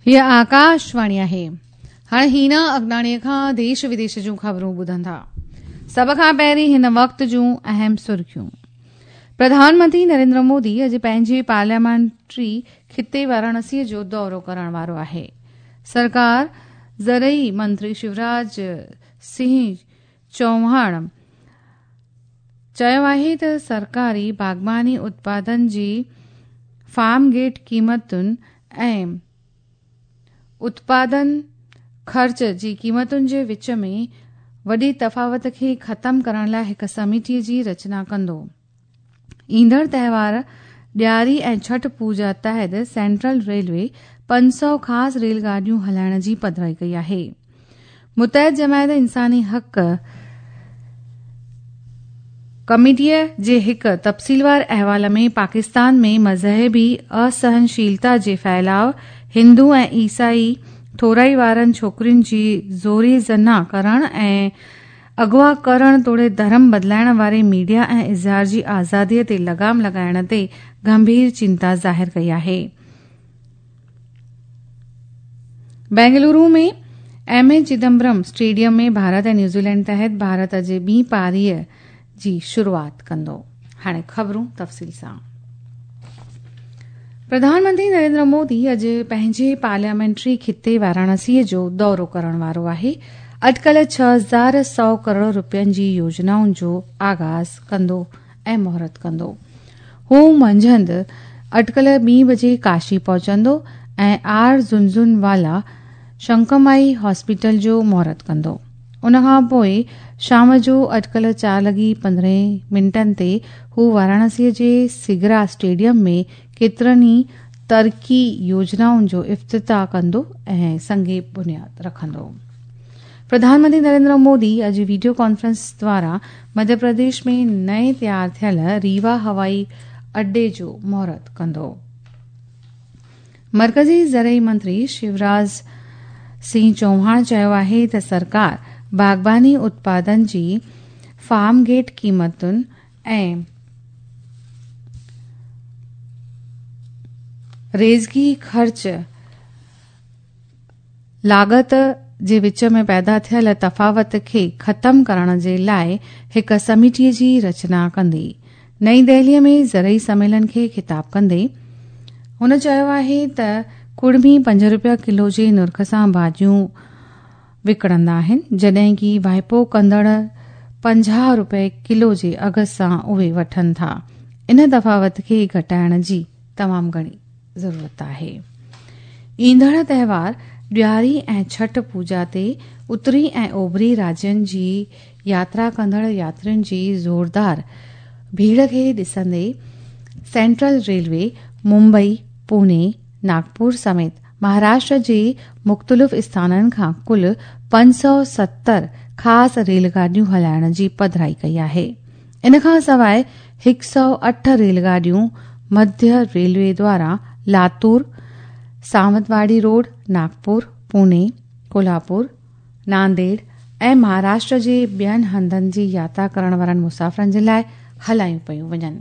هيء آڪاشواڻي آهي. هاڻي هينا اگناڻيء کان ديش وديش جون خبرون ٻڌندا. سڀ کان پهرين هن وقت جون اهم سرخيون. پرڌان منتري نريندر مودي اڄ پنهنجي پارليامينٽري خطي واراڻسيء جو دورو ڪرڻ وارو آهي. سرڪار زرعي منتري شيوراج سنگهه چوهاڻ چيو آهي ته سرڪاري باغباني اتپادن جي فارم گيٽ قيمتن ۽ اتپادن خرچ جي قيمتن جي وچ ۾ وڏي تفاوت کي ختم ڪرڻ لاء هڪ سميتي جي رچنا ڪندو. ايندڙ تهوار ڏياري ۽ ڇٺ پوڄا تحت سينٽرل ريلوي 500 خاص ريل گاڏيون هلائڻ جي پڌرائي ڪئي آهي. متحد جماعت انساني حق ڪميٽيء جي هڪ تفصيلوار احوال ۾ پاڪستان ۾ مذهبي اسهنشيلتا جي ڦهلاء، هندو ۽ عيسائي ٿورائي وارن ڇوڪرين جي زوري زنا ڪرڻ ۽ اغوا ڪرڻ توڙي ڌرم بدلائڻ واري ميڊيا ۽ اظهار جي آزادي تي لغام لڳائڻ تي گنڀير چنتا ظاهر ڪئي آهي. Bengaluru ۾ M A Chidambaram stadium ۾ Bharat ۽ New Zealand تحت ڀارت اڄ ٻي پاريء جي شروعات ڪندو. هاڻي خبرون تفصيل سان. پرڌان منتري نريندر مودي اڄ پنهنجي پارليامينٽري خطي واراڻسيء جو دورو ڪرڻ وارو آهي. اٽڪل 6100 ڪروڙ رپين جي يوجنائن جو آغاز ڪندو ۽ مهورت ڪندو. هو منجهند اٽڪل ٻي بجي ڪاشي پهچندو ۽ آر جهنجهنوالا شنڪمائي هاسپيٽل جو مهورت ڪندو. ان کان پوء شام جو اٽڪل چار لڳي پندرهن منٽن تي هو واراڻسي جي سگرا اسٽيڊيم ۾ ڪيترن ئي ترقي يوجنائن جو افتتاح ڪندو ۽ سنگ بنياد رکندو. پرڌان منتري نريندر مودي اڄ وڊيو ڪانفرنس دواران مڌيه پرديش ۾ نئين تيار ٿيل ريوا هوائي اڏي جو مهورت ڪندو. مرڪزي زرعي منتري شيوراج سنگهه چوهاڻ چيو آهي ته سرڪار باغباني اتپادن جي فارم گيٽ قيمتن ۽ ريزگي خرچ لاڳت جي وچ ۾ پيدا ٿيل تفاوت کي ختم ڪرڻ جي لاء هڪ سميتي جي رچنا ڪندي. نئين دهلي ۾ زرعي سميلن کي خطاب ڪندي هن چيو آهي ته ڪڙمي پنج رپيا ڪلو جي نرخ سان ڀاڄيون وڪڻندا آهن جڏهن ڪي واهپو ڪندڙ 50 رپئي ڪلو جي اگهه سان اهي وٺن ٿا. ان تفاوت کي گهٽائڻ جي تمام گهڻي ضرورت آهي. ايندڙ تهوار ڏياري ۽ ڇٺ پوڄا تي اتري ۽ اوڀري راجين جي ياترا ڪندڙ ياترين جي زوردار ڀيڙ کي ڏسندي سينٽرل ريلوي ممبئي، پوني، ناگپور سميت مهاراشٽر جي مختلف اسٿانن کان ڪل 570 خاص ريل گاڏيون هلائڻ جي پڌرائي ڪئي آهي. ان کان سواء 108 ريل گاڏيون مڌيه ريلوي دواران لاتور، ساونتواڙي روڊ، ناگپور، پوني، ڪولهاپور، نانديڙ ۽ مهاراشٽر جي ٻين هنڌن جي ياترا ڪرڻ وارن مسافرن جي لاء هلايون پيون وڃن.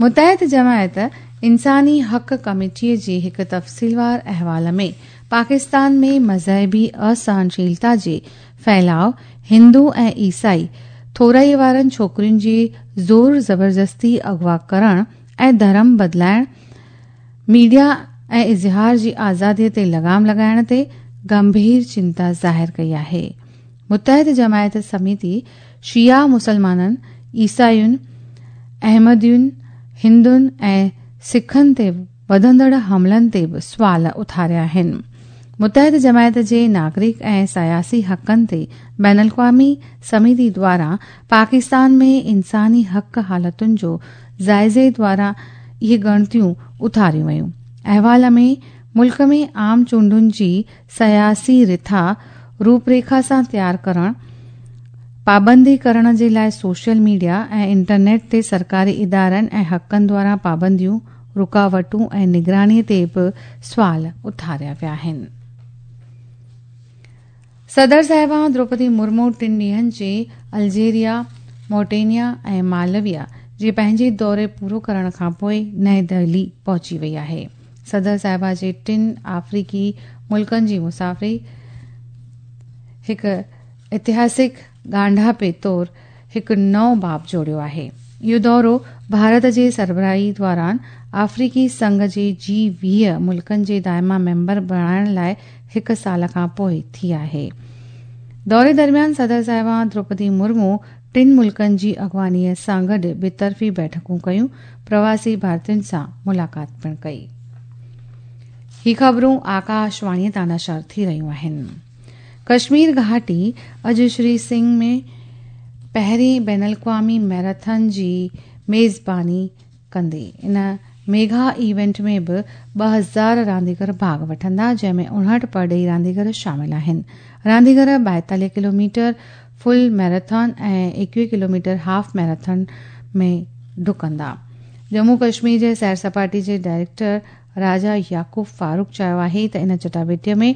متحد جماعت انساني حق ڪميٽي جي هڪ تفصيلوار احوال ۾ پاڪستان ۾ مذهبي اسهنشيلتا جي ڦهلاء، هندو ۽ عيسائي ٿورائي وارن ڇوڪرين جي زور زبردستي اغوا ڪرڻ ۽ ڌرم بدلائڻ، ميڊيا ۽ اظهار جي آزادي تي لغام لڳائڻ تي گنڀير چنتا ظاهر ڪئي آهي. متحد جماعت سميتي شيعا مسلمانن، عيسائين، احمدين، هندن ۽ سکن تي وڌندڙ حملن تي به سوال اٿاريا آهن. متحد جماعت جي ناگرڪ ۽ سياسي حقن تي بين الاقوامي سميتي دواران پاڪستان ۾ انساني حق حالتن جو جائزي دواران اهي ڳڻتيون اٿاريون ويون. احوال ۾ ملڪ ۾ عام چونڊن جي سياسي رٿا روپريکا سان تيار ڪرڻ، پابندي ڪرڻ جي لاء سوشل ميڊيا ۽ انٽرنيٽ تي سرڪاري ادارن ۽ حقن دواران پابنديون، رڪاوٽون ۽ نگراني تي به سوال اٿاريا ويا آهن. صدر صاحبان دروپدي مرمو ٽن ڏينهن جي الجيريا، مورٽينيا ۽ مالويا جي پنهنجي دوري پورو ڪرڻ کانپوء نئين دهلي پهچي وئي آهي. صدر صاحبه جي ٽن آفريقي ملڪن جي مسافري هڪ اتهاسڪ ڳانڍاپي طور هڪ نئون باب جوڙيو آهي. اهو دورو ڀارت جي سربراهي دوران آفريقي سنگهه جي جي 20 ملڪن جي دائما ميمبر بڻائڻ لاء هڪ سال کان پوء ٿي آهي. دوري درميان صدر صاحبه دروپدي مرمو ٽن ملڪن جي اڳواڻيء سان گڏ ٻطرفي بيٺڪون ڪيون، پرواسي ڀارتين سان ملاقات پڻ ڪئي. هي خبرون آڪاشواڻيء تان نشر ٿي رهيون آهن. ڪشمير گهاٽي اڄ شري سنگهه ۾ پهرين بين الاقوامي ميراٿن جي ميزباني ڪندي. ان ميگا ايونٽ ۾ به 2000 رانديگر ڀاڳ وٺندا، جنهن ۾ 59 پرڏيهي رانديگر شامل آهن. رانديگر 42 kilometre full marathon ۽ 21 kilometre half marathon ۾ ڊڪندا. ڄمون ڪشمير جي سير سپاٽي جي ڊائريڪٽر راجا يعقوب فاروق چيو آهي ته ان چٽاڀيٽي ۾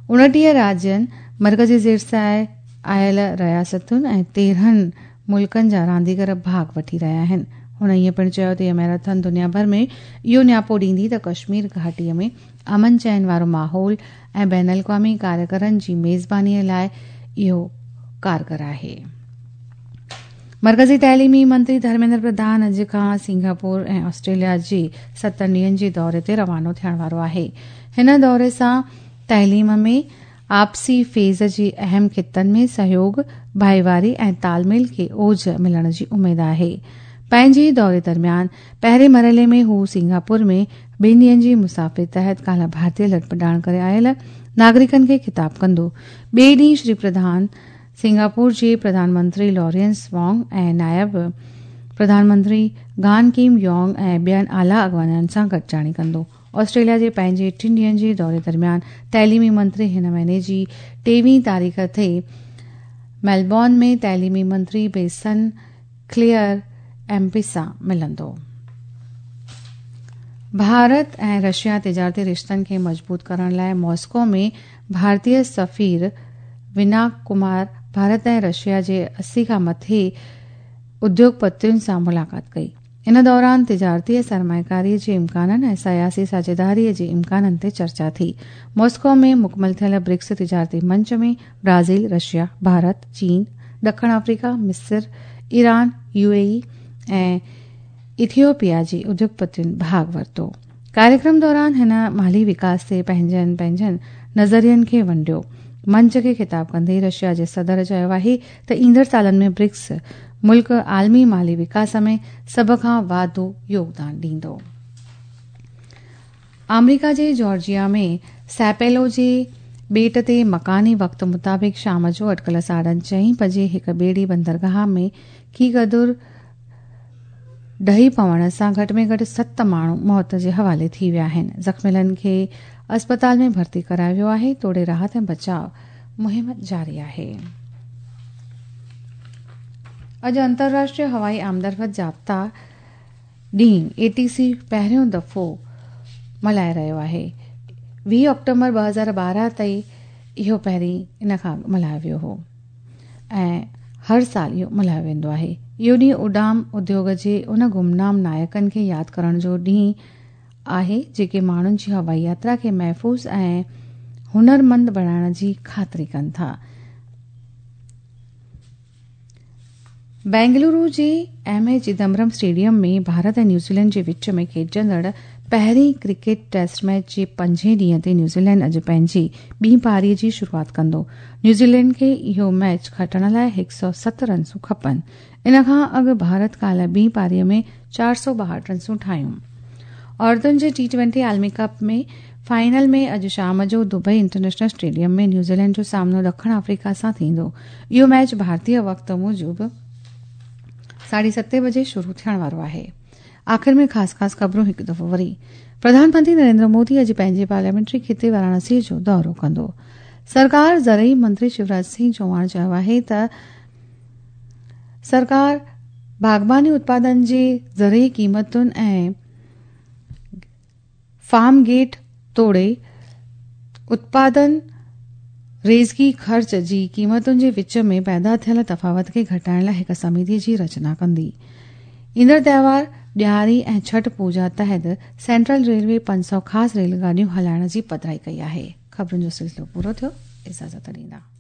29 راجين، مرڪزي زير سايي آيل رياستن ۽ 13 ملڪن جا رانديگر ڀاڳ وٺي رهيا آهن. هن ائين پڻ چيو ته اها ميراٿن دنيا ڀر ۾ اهو نياپو ڏيندي ته ڪشمير گهاٽي ۾ امن چين وارو ماحول ۽ بين الاقوامي ڪاريگرن جي ميزباني لاء اهو ڪارگر آهي. مرڪزي تعليمي منتري ڌرميندر پرڌان اڄ کان سنگاپور ۽ آسٽريليا جي 7 ڏينهن جي دوري تي روانو ٿيڻ وارو آهي. هن دوري سان تعليم ۾ آپسي فيض جي اهم خطن ۾ سهيوڳ، ڀائيواري ۽ تال ميل کي اوج ملڻ جي اميد آهي. پنهنجي دوري درميان پهرين مرحلي ۾ هو سنگاپور ۾ ٻن ڏينهن جي مسافري تحت ڪالهه ڀارتي لڏپلاڻ ڪري آيل ناگرڪن کي خطاب ڪندو. ٻئي ڏينهن شري پرڌان سنگاپور جي پرڌان منتري لارينس وانگ ۽ نائب پرڌان منتري گان ڪيم يونگ ۽ ٻين اعليٰ اڳواڻن سان گڏجاڻي ڪندو. آسٽريليا جي پنهنجي ٽن ڏينهن جي دوري درميان تعليمي منتري هن مهيني جي 23 تاريخ تي ميلبورن ۾ تعليمي منتري بيسن ڪليئر ايم پي سان ملندو. ڀارت ۽ رشيا تجارتي رشتن کي مضبوط ڪرڻ لاء ماسڪو ۾ ڀارتي سفير وناڪ ڪمار ڀارت ۽ رشيا جي 80 کان مٿي اديوگپتين سان ملاقات ڪئي. ان دوران تجارتي ۽ سرمائيڪاري جي امڪانن ۽ سياسي ساجهيداري جي امڪانن تي چرچا ٿي. ماسڪو ۾ مڪمل ٿيل برڪس تجارتي منچ ۾ برازيل، رشيا، ڀارت، چين، ڏکڻ آفريڪا، مصر، ايران، يو اي اي ۽ ايٿيوپيا جي اديوگپتين ڀاڳ ورتو. ڪاريڪرم دوران هن مالي وڪاس تي پنهنجن پنهنجن نظرين کي ونڊيو. منچ کي خطاب ڪندي رشيا جي صدر چيو آهي ته ايندڙ سالن ۾ برڪس ملڪ عالمي مالي وڪاس ۾ سڀ کان واڌو يوگدان ڏيندو. آمريڪا جي جارجيا ۾ سيپيلو جي ٻيٽ تي مڪاني وقت مطابق شام جو اٽڪل ساڍن چئين بجي هڪ ٻيڙي بندرگاهه ۾ ڪي قدر ڊهي پوڻ سان گهٽ ۾ گهٽ 7 ماڻهو موت جي حوالي ٿي ويا آهن. زخميلن کي اسپتال ۾ ڀرتي ڪرايو ويو آهي توڙي راحت ۽ بچاء مهم جاري آهي. اڄ انترراشٽريه هوائي آمدرفت ضابطا ڏينهن، اي ٽي سي، پهريون دفعو ملهائي رهيو آهي. 20 آڪٽومبر 2012 تائين اهو پهرين ان کان اڳ ملهايو ويو هو ۽ هر سال اهو ملهايو ويندو آهي. اهو ڏينهن اڏام اديوگ جي ان گمنام نائڪن کي ياد ڪرڻ جو ڏينهن آهي جيڪي ماڻهن جي هوائي ياترا کي محفوظ ۽ هنرمند بڻائڻ جي خاطري ڪن ٿا. بينگلورو جي M A Chidambaram stadium ۾ Bharat ۽ New Zealand جي وچ ۾ کيڏجندڙ پهرين ڪرڪيٽ ٽيسٽ ميچ جي پنجين ڏينهن تي نيوزيلينڊ اڄ پنهنجي ٻي پاري جي شروعات ڪندو. نيوزيلينڊ کي اهو ميچ کٽڻ لاء 107 رنسون کپن. ان کان اڳ ڀارت ڪالهه ٻي پاري ۾ 462 رنسون ٺاهيون. عورتن جي ٽي ٽوئنٽي عالمي ڪپ ۾ فائنل ۾ اڄ شام جو دبئي انٽرنيشنل اسٽيڊيم ۾ نيوزيلينڊ جو سامنو ڏکڻ آفريڪا سان ٿيندو. اهو ميچ ڀارتي وقت موجب ساڍي ستين بجي شروع ٿيڻ وارو آهي. آخر ۾ خاص خاص خبرون هڪ دفعو وري. پرڌان منتري نريندر مودي اڄ پنهنجي پارليامينٽري خطي واراڻسي جو دورو ڪندو. سرڪار زرعي منتري شيوراج سنگهه چوهاڻ چيو آهي ته سرڪار باغباني اتپادن جي زرعي قيمتن ۽ فارم گيٽ توڙي اتپادن ريزڪي خرچ جي قيمتن جي وچ ۾ پيدا ٿيل تفاوت کي گهٽائڻ لاء هڪ سميتي جي رچنا ڪندي. ايندڙ تهوار ڏياري ۽ ڇٺ پوڄا تحت سينٽرل ريلوي 500 خاص ريل گاڏيون هلائڻ جي پڌرائي ڪئي آهي. خبرن جو سلسلو پورو ٿيو. اجازت ڏيندا.